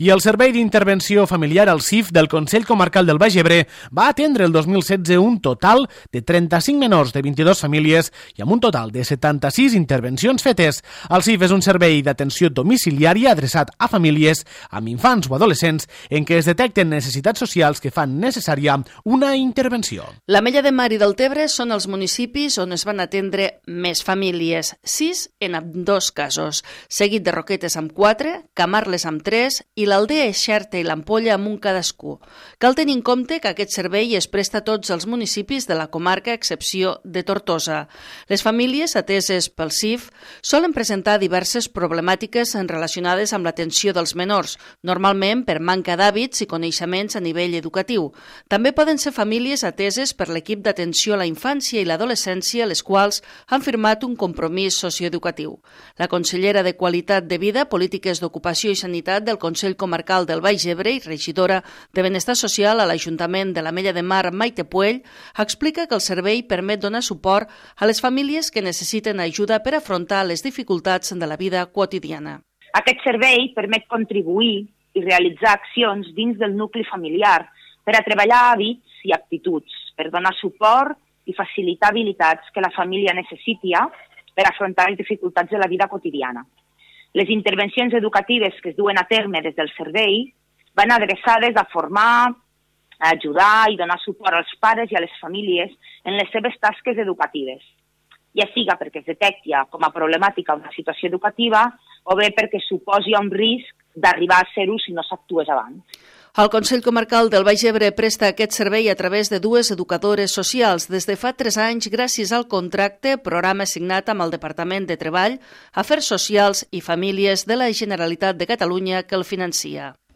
I el Servei d'Intervenció Familiar, el CIF, del Consell Comarcal del Baix Ebre va atendre el 2016 un total de 35 menors de 22 famílies i amb un total de 76 intervencions fetes. El CIF és un servei d'atenció domiciliària adreçat a famílies amb infants o adolescents en què es detecten necessitats socials que fan necessària una intervenció. L'Ametlla de Mar i Deltebre són els municipis on es van atendre més famílies, 6 en ambdós casos, seguit de Roquetes amb 4, Camarles amb 3 i l'Aldea Xerta i l'Ampolla amb un cadascú. Cal tenir en compte que aquest servei es presta a tots els municipis de la comarca, a excepció de Tortosa. Les famílies ateses pel CIF solen presentar diverses problemàtiques relacionades amb l'atenció dels menors, normalment per manca d'hàbits i coneixements a nivell educatiu. També poden ser famílies ateses per l'equip d'atenció a la infància i l'adolescència, les quals han firmat un compromís socioeducatiu. La consellera de Qualitat de Vida, Polítiques d'Ocupació i Sanitat del Consell Comarcal del Baix Ebre i regidora de Benestar Social a l'Ajuntament de l'Ametlla de Mar, Maite Puell, explica que el servei permet donar suport a les famílies que necessiten ajuda per afrontar les dificultats de la vida quotidiana. Aquest servei permet contribuir i realitzar accions dins del nucli familiar per a treballar hàbits i aptituds, per donar suport i facilitar habilitats que la família necessiti per afrontar les dificultats de la vida quotidiana. Les intervencions educatives que es duen a terme des del servei van adreçades a formar, a ajudar i donar suport als pares i a les famílies en les seves tasques educatives, ja siga perquè es detecti com a problemàtica una situació educativa o bé perquè suposi un risc d'arribar a ser-ho si no s'actués abans. El Consell Comarcal del Baix Ebre presta aquest servei a través de 2 educadores socials des de fa 3 anys gràcies al contracte, programa signat amb el Departament de Treball, Afers Socials i Famílies de la Generalitat de Catalunya que el financia.